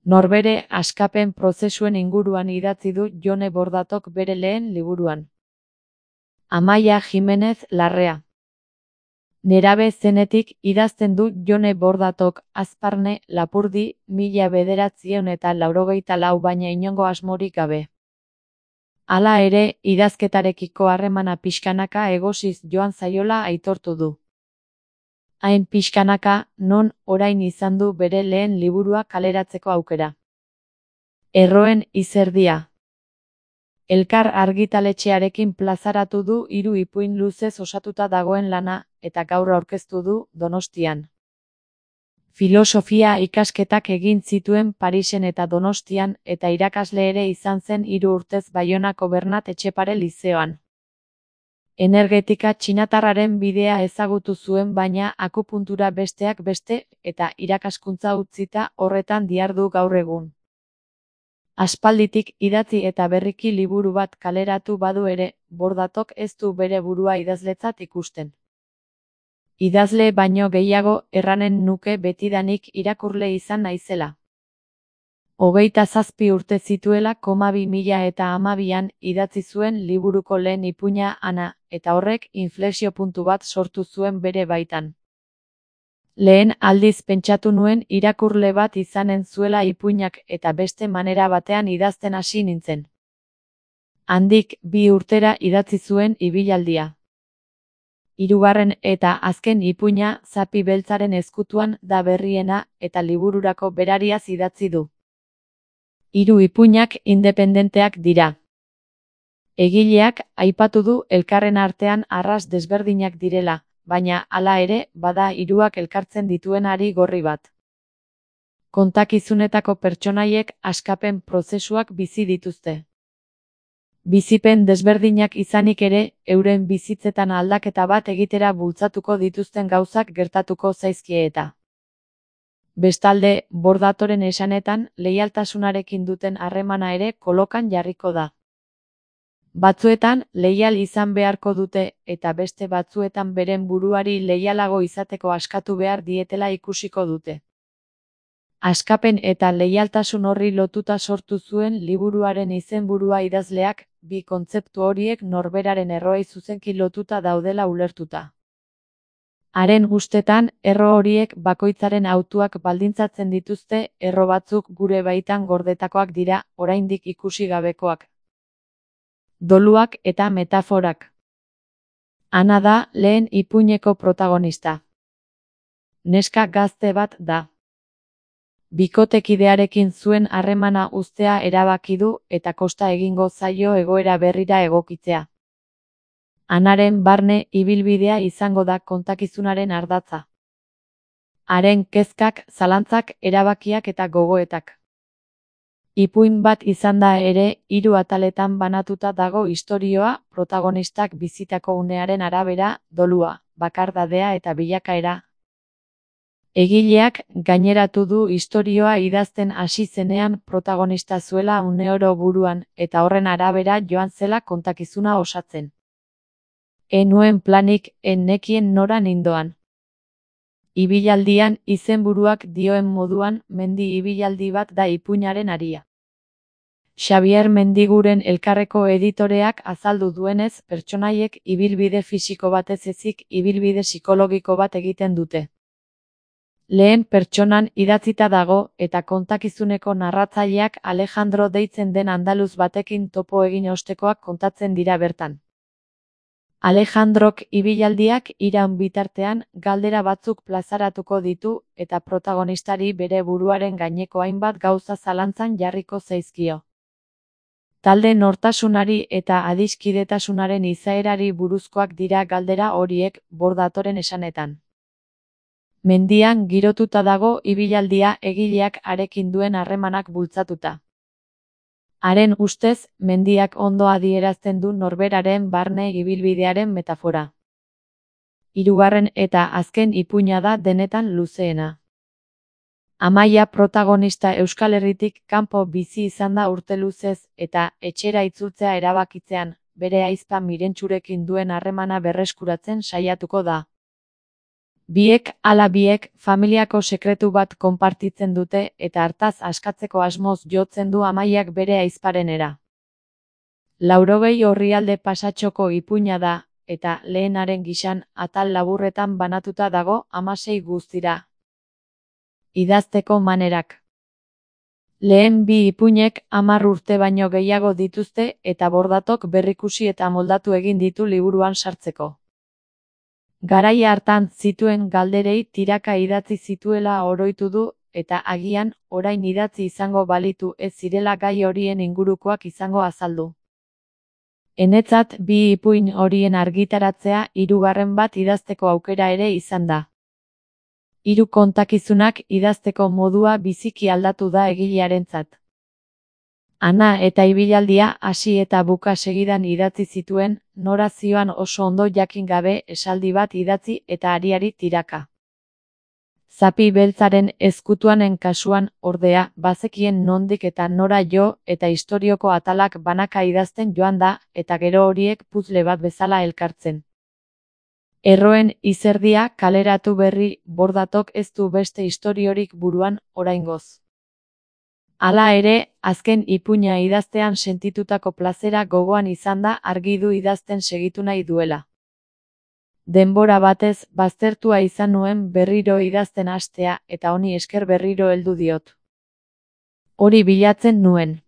Norbere askapen prozesuen inguruan idatzi du Jone Bordatok bere lehen liburuan. Amaia Jimenez Larrea. Nerabe zenetik idazten du Jone Bordatok Azparne Lapurdi 1984 baina inongo asmorik gabe. Hala ere, idazketarekiko harremana pixkanaka egosiz joan zaiola aitortu du. Hain pixkanaka, non orain izan du bere lehen liburua kaleratzeko aukera. Erroen izerdia. Elkar argitaletxearekin plazaratu du 3 ipuin luzez osatuta dagoen lana, eta gaur aurkeztu du Donostian. Filosofia ikasketak egin zituen Parisen eta Donostian, eta irakasle ere izan zen 3 urtez Baionako Bernat Etxepare lizeoan. Energetika txinatarraren bidea ezagutu zuen baina akupuntura besteak beste, eta irakaskuntza utzita horretan dihardu gaur egun. Aspalditik idatzi eta berriki liburu bat kaleratu badu ere, Bordatok ez du bere burua idazletzat ikusten. Idazle baino gehiago erranen nuke betidanik irakurle izan naizela. 27 urte zituela 2012an idatzi zuen liburuko lehen ipuina Ana, eta horrek inflexio puntu bat sortu zuen bere baitan. Lehen aldiz pentsatu nuen irakurle bat izanen zuela ipuinak eta beste manera batean idazten hasi nintzen. Handik 2 urtera idatzi zuen ibilaldia. 3. eta azken ipuina Zapi beltzaren ezkutuan da berriena eta libururako berariaz idatzi du. 3 ipuinak independenteak dira. Egileak aipatu du elkarren artean arras desberdinak direla, baina hala ere bada 3ak elkartzen dituen hari gorri bat. Kontakizunetako pertsonaiek askapen prozesuak bizi dituzte. Bizipen desberdinak izanik ere, euren bizitzetan aldaketa bat egitera bultzatuko dituzten gauzak gertatuko zaizkie eta. Bestalde, Bordatoren esanetan, leialtasunarekin duten harremana ere kolokan jarriko da. Batzuetan, leial izan beharko dute, eta beste batzuetan beren buruari leialago izateko askatu behar dietela ikusiko dute. Askapen eta leialtasun horri lotuta sortu zuen liburuaren izenburua idazleak, 2 kontzeptu horiek norberaren erroei zuzenki lotuta daudela ulertuta. Haren ustetan, erro horiek bakoitzaren hautuak baldintzatzen dituzte, erro batzuk gure baitan gordetakoak dira, oraindik ikusi gabekoak. Doluak eta metaforak. Ana da lehen ipuineko protagonista. Neska gazte bat da. Bikotekidearekin zuen harremana uztea erabaki du eta kosta egingo zaio egoera berrira egokitzea. Anaren barne ibilbidea izango da kontakizunaren ardatza. Haren kezkak, zalantzak, erabakiak eta gogoetak. Ipuin bat izan da ere, 3 ataletan banatuta dago istorioa, protagonistak bizitako unearen arabera, dolua, bakardadea eta bilakaera. Egileak gaineratu du istorioa idazten hasi zenean protagonista zuela uneoro buruan, eta horren arabera joan zela kontakizuna osatzen. Nuen planik, nekien nora nindoan. Ibilaldian izenburuak dioen moduan, mendi ibilaldi bat da ipuinaren haria. Xabier Mendiguren Elkarreko editoreak azaldu duenez, pertsonaiek ibilbide fisiko batez ezik ibilbide psikologiko bat egiten dute. Lehen pertsonan idatzita dago eta kontakizuneko narratzaileak Alejandro deitzen den andaluz batekin topo egin ostekoak kontatzen dira bertan. Alejandrok ibilaldiak iraun bitartean galdera batzuk plazaratuko ditu eta protagonistari bere buruaren gaineko hainbat gauza zalantzan jarriko zaizkio. Talde nortasunari eta adiskidetasunaren izaerari buruzkoak dira galdera horiek Bordatoren esanetan. Mendian girotuta dago ibilaldia egileak harekin duen harremanak bultzatuta. Haren ustez, mendiak ondo adierazten du norberaren barne ibilbidearen metafora. 3. eta azken ipuina da denetan luzeena. Amaia protagonista Euskal Herritik kanpo bizi izan da urte luzez eta etxera itzultzea erabakitzean, bere ahizpa Mirentxurekin duen harremana berreskuratzen saiatuko da. Biek ala biek familiako sekretu bat konpartitzen dute eta hartaz askatzeko asmoz jotzen du Amaiak bere ahizparenera. 80 orrialde pasatxoko ipuina da, eta lehenaren gisan atal laburretan banatuta dago 16 guztira. Idazteko manerak. Lehen bi ipuinek 10 urte baino gehiago dituzte eta Bordatok berrikusi eta moldatu egin ditu liburuan sartzeko. Garai hartan zituen galderei tiraka idatzi zituela oroitu du, eta agian, orain idatzi izango balitu ez zirela gai horien ingurukoak izango azaldu. Enetzat bi ipuin horien argitaratzea hirugarren bat idazteko aukera ere izan da. 3 kontakizunak idazteko modua biziki aldatu da egilearentzat. Ana eta ibilaldia hasi eta buka segidan idatzi zituen, nora zioan oso ondo jakin gabe esaldi bat idatzi eta ariari tiraka. Zapi beltzaren ezkutuanen kasuan, ordea, bazekien nondik eta nora jo eta istorioko atalak banaka idazten joan da, eta gero horiek puzzle bat bezala elkartzen. Erroen izerdia kaleratu berri Bordatok ez du beste istoriorik buruan oraingoz. Hala ere, azken ipuina idaztean sentitutako plazera gogoan izan da argi du idazten segitu nahi duela. Denbora batez baztertua izan nuen berriro idazten hastea eta honi esker berriro heldu diot. Hori bilatzen nuen.